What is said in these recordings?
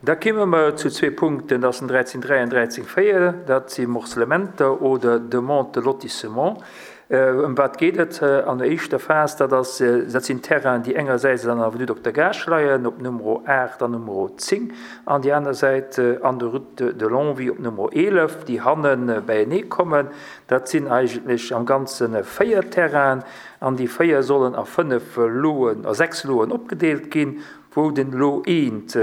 Da kimme mer zu zwee Punkten, dat ass den 13 33 4, dat si Morcellementer oder Demande de lotissement. Ëm wat geet et an der éischter Phas? Dat ass, dat sinn Terrainen, déi engersäits an der Avenue Dokter Gaasch leien, op Numero 8 an Numero 10, an déi aner Säit an der Route de Longwy op Numero 11, déi hanne beienee kommen. Dat sinn eigentlech am Ganze véier Terrainen, an déi véier sollen a fënnef Loen, a sechs Loen opgedeelt ginn, wou den Lot eent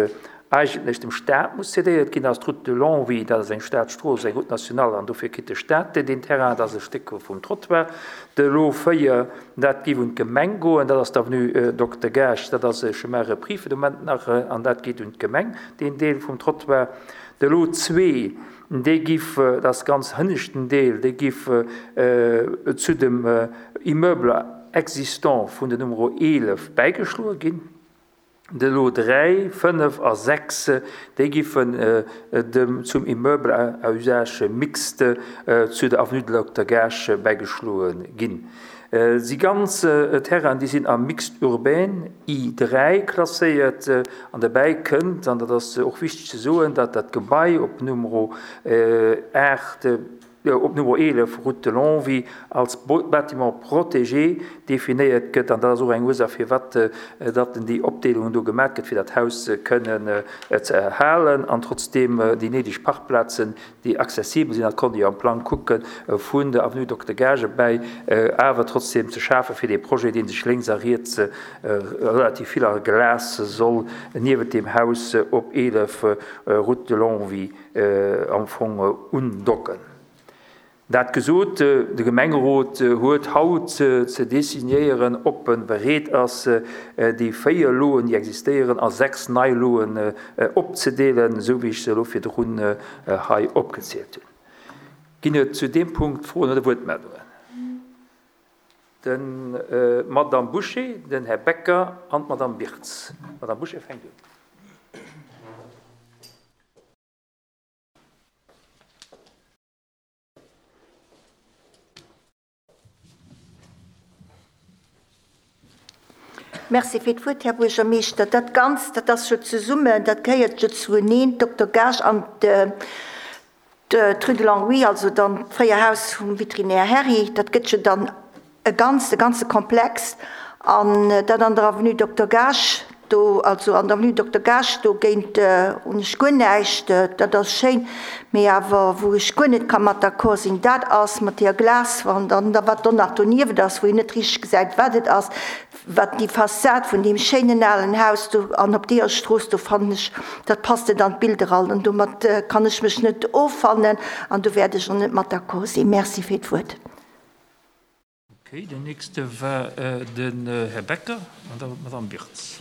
eigentlech dem Staat muss cédéiert ginn, ass d'Route de Longwy, dat ass eng Staatsstrooss, eng Route nationale, an dofir kritt de Staat deen Terrain, dat ass e Stéck vum Trottoir. De Lot 4, dat géif un d'Gemeng goen, dat ass d'Avenue Dokter Gaasch, dat ass e Chemin repris fir de Moment nach, an dat geet un d'Gemeng, deen Deel vum Trottoir. De Lot 2, dee giff, dat ass ganz hënneschten Deel, dee giff zu dem Immeuble existant vun der Numero 11 bäigeschloe ginn. De Lot 3, 5 a 6, déi giffen dem zum Immeuble à usage mixte zu der Avenue de Dokter Gaasch bäigeschloe ginn. Si ganz Terrainen, déi sinn am Mixte urbain I3 klasséiert. An derbäi kënnt, an dat ass och wichteg ze soen, datt dat Gebai op Numero 8, op Nummer 11, Route de Longwy, als Bâtiment protégé definéiert gëtt. An dat ass och eng Ursaach, firwat datt déi Opdeelung do gemaach gëtt, fir dat Haus kënnen ze erhalen an trotzdeem déi néideg Parkplazen, déi accessibel sinn, dat konnt ee jo am Plang kucken, vun der Avenue Dokter Gaasch erbäi, awer trotzdeem ze schafen, fir dee Projet, dee sech lénks a riets relativ vill a Glas soll niewent deem Haus op 11, Route de Longwy, am Fong undocken. Dat gesot, de Gemengerot huet haut ze designéieren, ob e bereet ass, déi 4 Loen, déi existéieren, a 6 nei Loen opzedeelen, esou wéi ech se elo virdrun hei opgezielt hunn. Ginn et zu deem Punkt Froen oder Wuertmeldungen? D'Madame Bouché, den Här Becker an d'Madame Birtz. D'Madame Bouché fänkt un. Merci fir d'Wuert, Här Buergermeeschter. Dat Ganzt, dat ass jo zesummen, dat gehéiert jo zueneen, d'Dokter Gaasch an d'Rue de Longwy, also dann d'fréier Haus vum Veterinär Herry, dat gëtt jo dann e Ganzt, e ganze Komplex. An dat an der Avenue Dokter Gaasch do, also an der Avenue Dokter Gaasch dogéint hunn ech guer näischt, dat ass schéin. Mee awer wou ech guer net ka mat d'accord sinn, dat ass mat deeër Glaswand an da wat do nach donieft ass, wou een net richteg gesäit wat et ass, wat déi Fassad vun deem schéinen alen Haus do an op deeër Strooss do fannen ech, dat passt net an d'Bild eran an domat kann ech mech net offannen an do wäert ech och net mat d'accord sinn. Merci fir d'Wuert. Okay, den nächste war den Här Becker an da d'Madame Birtz.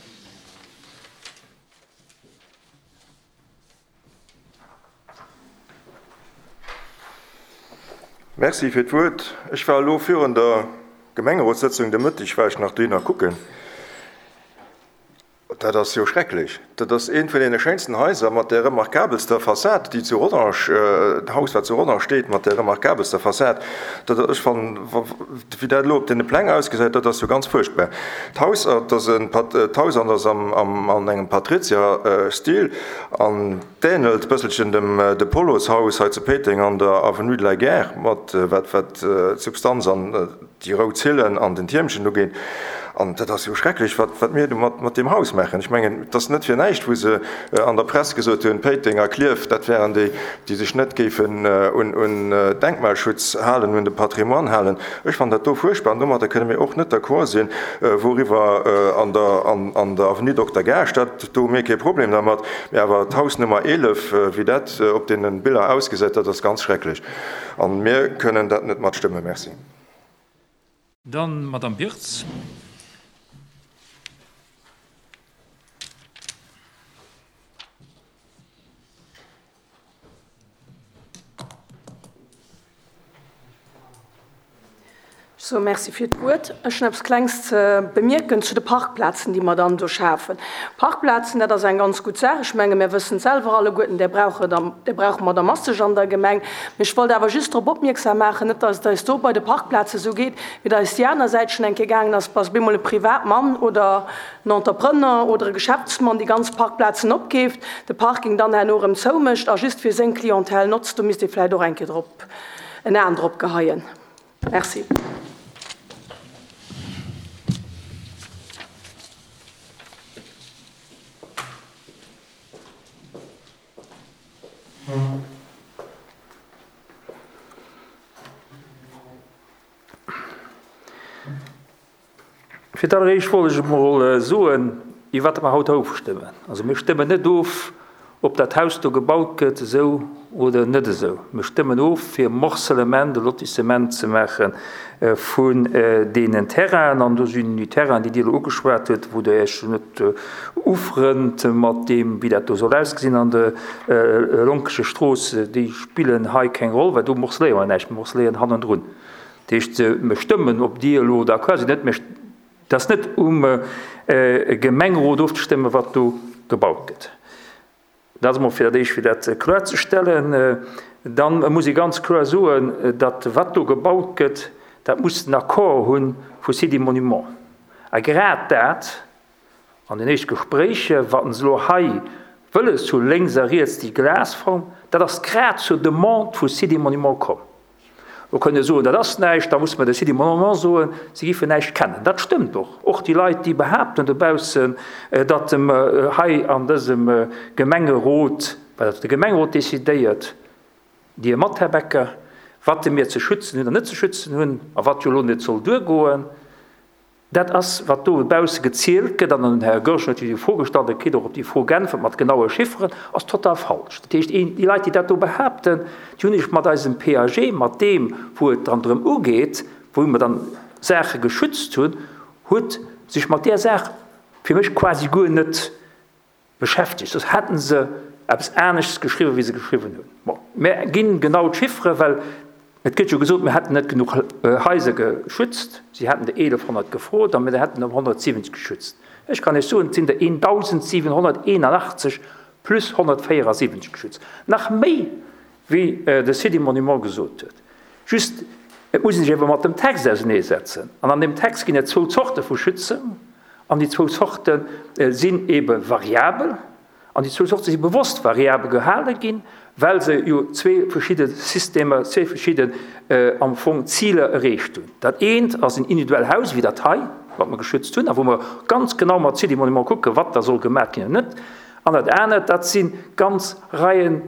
Merci fir d'Wuert. Ech war elo virun der Gemengerotssëtzung de Mëtteg war ech nach dohinner kucken. Dat ass jo schrecklech. Dat ass eent vun deene schéinsten Haiser mat där remarkabelster Fassad, déi zu Rodange, d'Haus, wat zu Rodange steet, mat där remarkabelster Fassad. Dat, ech fannen, wéi dat elo op deene Pläng ausgesäit, dat ass jo ganz fuerchtbar. D'Haus, dat ass en, d'Haus an ass am, am, an engem Patrizierstil an d'ähnelt bësselchen dem De Pollos-Haus hei zu Péiteng an der Avenue de la Gare, mat wat, wat d'Substanz an, déi rout Zillen an den Tiermchen ugeet. An dat ass jo schrecklech, wat, wat mir do mat, mat deem Haus maachen. Ech mengen, et ass net fir näischt, wou se an der Press gesot hunn, Péiteng a Klierf, dat wären déi, déi sech net géifen un, un Denkmalschutz halen, un de Patrimoine halen. Ech fannen dat do fuerchtbar an domadder kënne mir och net d'accord sinn, wouriwwer an der, an, an der Avenue Dokter Gaasch, dat, do hu mir kee Problem dermat, mä awer d'Haus Nummer 11, wéi dat op deene Biller ausgesäit, dat ass ganz schrecklech. A mir kënnen dat net matstëmmen. Merci. Dann d'Madame Birtz. Ech. Sou, Merci fir d'Wuert. Ech hunn eppes Klengs ze bemierken zu de Parkplazen, déi mer dann do schafen. Parkplazen, dat ass eng ganz gutt Saach. Ech menge mir wëssen et selwer alleguerten, där brauche der, där brauche mer der masseg an der Gemeng. Mee ech wollt awer just drop opmierksam maachen, net datt et eis do bei de Parkplaze sou geet, wéi et eis déi aner Säit schonn eng Kéier gaangen ass, dass op eemol e Privatmann oder en Entrepreneur oder e Geschäftsmann déi ganz Parkplazen opkeeft, de Parking dann herno erëm zoumécht a just fir seng Clientèle notzt. Do misst ee vläicht och eng Kéier drop en Aen drop geheien. Merci. Fir d'alleréischt wollt ech emol soen, iwwer wat mer haut ofstëmmen. Also mir stëmmen net of, ob dat Haus do gebaut gëtt esou oder net esou. Mir stëmmen of, fir Morcellement, e Lotissement ze maache vun deenen Terrainen. An do sinn déi Terrainen, déi Dir elo ugeschwat hutt, wou Der Iech net ufrënnt mat deem, wéi dat do soll ausgesinn an der Lonkescher Strooss, déi spillen hei keng Roll, well do morceléiere mer näischt, mir morceléieren hannendrun. Dat heescht, mir stëmmen, ob Dir elo d'accord sidd oder net, mä et ass net um Gemengerot ofzestëmmen, wat do gebaut gëtt. Dat ass emol fir dat Éischt, fir dat kloerzestellen. Da muss ee ganz kloer soen, datt wat do gebaut gëtt, dat muss den Accord hu vu Sites et Monuments. A grad dat an den éischt Gespréicher, wa se elo hei wëlles hu lénks a riets déi Glasform, dat ass grad zur Demande vu Sites et Monuments komm. Lo kënnt Dir soen, dat ass näischt, da muss mer de Sidi Monument soen, si giffen näischt kennen. Dat stëmmt och. Och déi Leit, déi behaapten dobaussen, datt hei an dësem Gemengerot, well dat de Gemengerot decidéiert, Dir mat, Här Becker, wat mir ze schützen hunn an net ze schützen hunn a wat jo elo net soll duergoen, Dat ass, wat do dobausse gezielt gëtt, an den Här Goergen huet jo déi Fro gestallt, e kritt och op déi Fro geäntwert mat genaue Chifferen, ass total falsch. Dat heescht, déi Leit, déi dat do behaapten, déi hunn sech mat eisem PAG, mat deem, wou et dann drëm ugeet, wou mer dann Saache geschützt hunn, huet sech mat där Saach fir mech quasi guer net Beschäftegt, soss hätten se eppes aneschts geschriwwen, wéi se geschriwwen hunn. Bon, mir ginn genau d'Chiffere, well et gëtt jo gesot, mir hätten net genuch Haiser geschützt. Si hätten der 1.100 gefrot a mir hätten der 170 geschützt. Ech kann Iech soen, et sinn der 1.781 plus 174 geschützt. Nach méi, wéi de City Monument gesot huet. Just, et muss ee sech ebe mat dem Text auseneesetzen. An an deem Text ginn et zwou Zorte vu Schützen. An déi zwou Zorte sinn ebe variabel. An déi zwou Zorte si bewosst variabel gehale ginn, well se jo zwee verschidde Systemer, zwee verschidden am Fong Ziler erreecht hunn. Dat eent ass en individuell Haus, wéi dat hei, wat mer geschützt hunn a wou mer ganz genau mat City Monument kucken, wat da soll gemaach ginn an net. An dat anert, dat si ganz Reien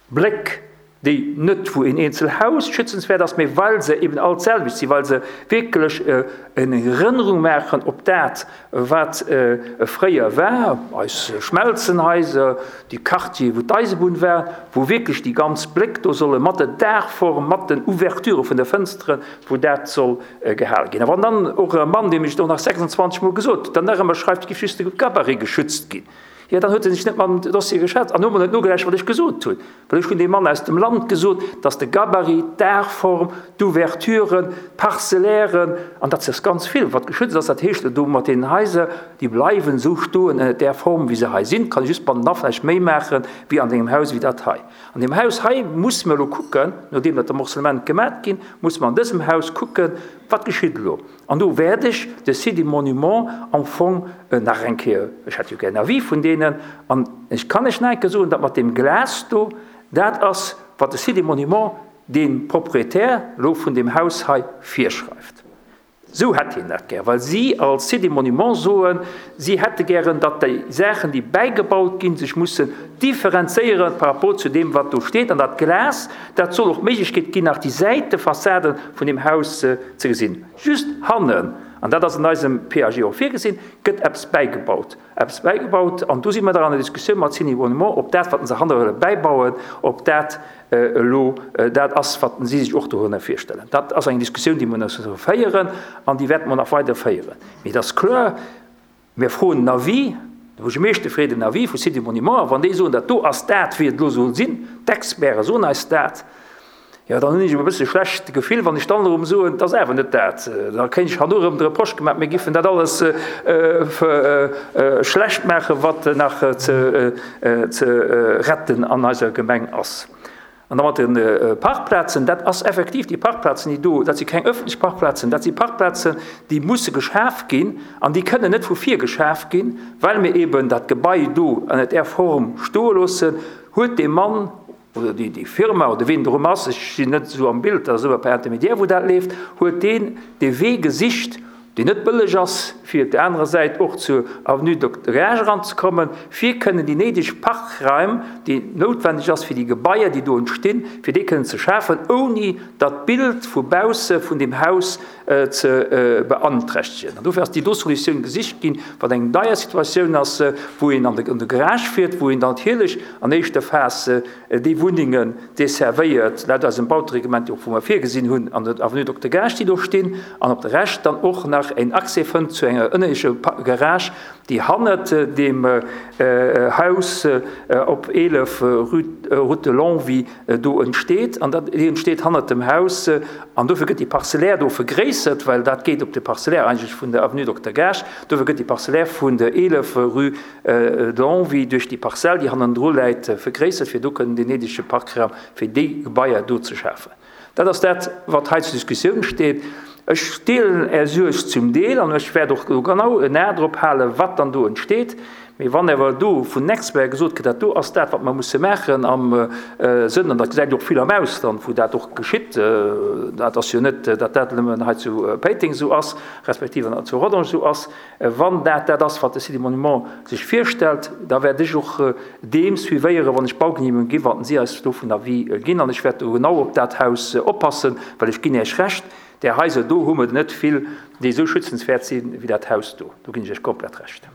Bléck, déi net wou een eenzel Haus schützenswäert ass, mee well se eben all d'selwecht sinn, well se wierklech eng Erënnerung maachen op dat, wat fréier war, eis Schmelzenhaiser, déi Quartiere wou d'Eisebunn war, wou wierklech déi ganz Bléck do solle mat der Daachform, mat den Ouverturë vun de Fënsteren, wou dat soll gehale ginn. A wann dann och e Mann, deem ech et och nach 26 Mol gesot hunn, dann nach ëmmer schreift, et géif just de Gabarit geschützt ginn, Jo, dann huet e sech net mam Dossier geschwätzt an huet mol net nogelauschtert, wat ech gesot hunn. Well ech hunn deem Mann aus dem Land gesot, dass de Gabarit, d'Daachform, d'Ouverturen, d'Parcellairen, an dat ass ganz vill, wat geschützt ass, dat heescht do mat deenen Haiser, déi bleiwen esou stoen ënnert där Form, wéi se hei sinn, kann ee just bannenaf vläicht méi maache wéi an engem Haus wéi dat hei. An deem Haus hei musse mer elo kucken, nodeem dat de Morcellement gemat ginn, musse mer an dësem Haus kucken, wat geschitt elo. An do wäert ech de Site des Monuments am Fong nach eng Kéier, ech hätt jo gär en Avis vun deenen, an ech kann lech nach eng Kéier soen, dat mat deem Glas do, dat ass, wat de Site des Monuments deem Proprietär elo vun deem Haus hei virschreift. Esou hätt hien dat gär, well si als Site des Monuments soen, si hätte gären, datt déi Saachen, déi bäigebaut ginn, sech mussen differenzéiere par rapport zu deem, wat do steet. An dat Glas, dat soll och d'Méiglechkeet ginn, nach déi Säitefassaden vun deem Haus ze gesinn. Just hannen, an dat ass an eisem PAG och virgesinn, gëtt eppes bäigebaut. Eppes bäigebaut, an do si mer dann an der Diskussioun mat Cine Monument, ob dat, wat se hanne wëlle bäibauen, ob dat elo dat ass, wat si sech och dorënner virstellen. Dat ass eng Diskussioun, déi mer nach féieren an déi wäerte mer nach weider féieren. Mee et ass kloer, Mir froen den Avis, de Buergermeeschter freet en Avis vu Cité Monument, a wann déi soen, dat do ass dat, wéi et elo soll sinn, d'Experte soen eis dat. Jo, dann hunn ech e bësse schlecht Gefill, wann ech dann erëm soen, et ass awer net dat. Da kéint ech herno erëm de Reproche gemaach, mir giffen dat alles schlecht maachen, wat nach ze retten an eiser Gemeng ass. An da mat de Parkplazen, dat ass effektiv, déi Parkplazen, déi do, dat si keng öffentlech Parkplazen, dat si Parkplazen, déi musse geschaf ginn an déi kënnen net vu vir geschaf ginn, well mir eeben dat Gebai do an där Form stoe loossen, huet dee Mann, oder déi déi Firma oder ween drum ass, ech sinn net esou am Bild, dat ass ëmmer per Intermédiaire wou dat leeft, huet deen dee Wee gesicht, deen net bëlleg ass, fir op där anerer Säit och zur Avenue Dokter Gage eranzekommen, fir kënnen déi néideg Parkraim, déi noutwendeg ass fir déi Gebaier, déi do entstinn, fir déi kënnen ze schafen, ouni datt d'Bild vu bausse vun deem Haus ze beanträchtegen. An dofir ass déi do Solutioun gesicht ginn, wat eng deier Situatioun ass, wou een an de Garage fiert, wou een dann natierlech an éischter Phas déi Wunnengen desservéiert, laut eisem Bautereglement, och wou mer virgesinn hunn an der Avenue Dokter Gaasch, déi do stinn, an op de Rescht dann och nach en Accès fënnt zu enger ënnerlecher Garage, déi hannert deem Haus op 11 Route de Longwy do entsteet. An dat, déi entsteet hannert dem Haus. An dofir gëtt déi Parcellaire do vergréissert, well dat geet op de Parcellaire eigentlech vun der Avenue Dokter Gaasch. Dofir gëtt déi Parcellaire vun der 11 Rue de Longwy duerch déi Parzell, déi hannendru läit, vergréissert, fir do kënnen deen néidege Parkraum fir déi Gebaier do ze schafen. Dat ass dat, wat hei zur Diskussioun steet. Ech deelen Är Suerg zum Deel an ech wäert och do genau en A drop halen, wat dann do entsteet. Mee wann awer do vun den Experten gesot gëtt, dat do ass dat, wat mer musse maachen am Sënn, an dat gesäit och vill am Ausland, wou dat och geschitt, dat ass jo net, datt dat nëmmen hei zu Péiteng esou ass, respektiv zu Rodange esou ass, Wann dat dat ass, wat de Site des Monuments sech virstellt, da wäert ech och deem suivéieren, wann ech d'Baugenehmegung ginn, wann si eis dovun Avis ginn. An ech wäert do genau op dat Haus oppassen, well ech ginn Iech Recht, där Haiser do hu mer der net vill, déi esou schützenswäert si wéi dat Haus do. Do ginn ech Iech komplett Recht.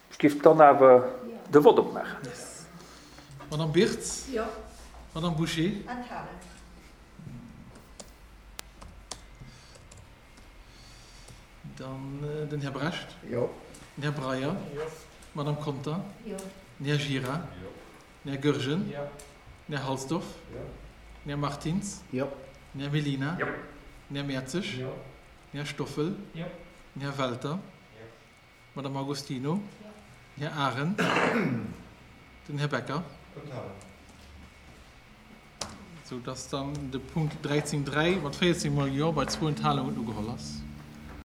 Ech géif dann awer de Vott opmaachen. Madame Birtz? Jo. Madame Bouché? Enthalen. Dann den Här Brecht. Jo. Den Här Breyer. Jo. D'Madame Conter. Jo. Den Här Gira. Jo. Den Här Goergen. Jo. Den Här Halsdorf. Jo. Den Här Martins. Jo. Den Här Mellina. Jo. Den Här Mertzig. Jo. Den Här Stoffel. Jo. Den Här Welter. Jo. D'Madame Agostino. Den Här Arendt. Den Här Becker. Enthalen. Sou dass dann de Punkt 13.3 mat 14 mol Jo bei zwou Enthalungen ugeholl ass.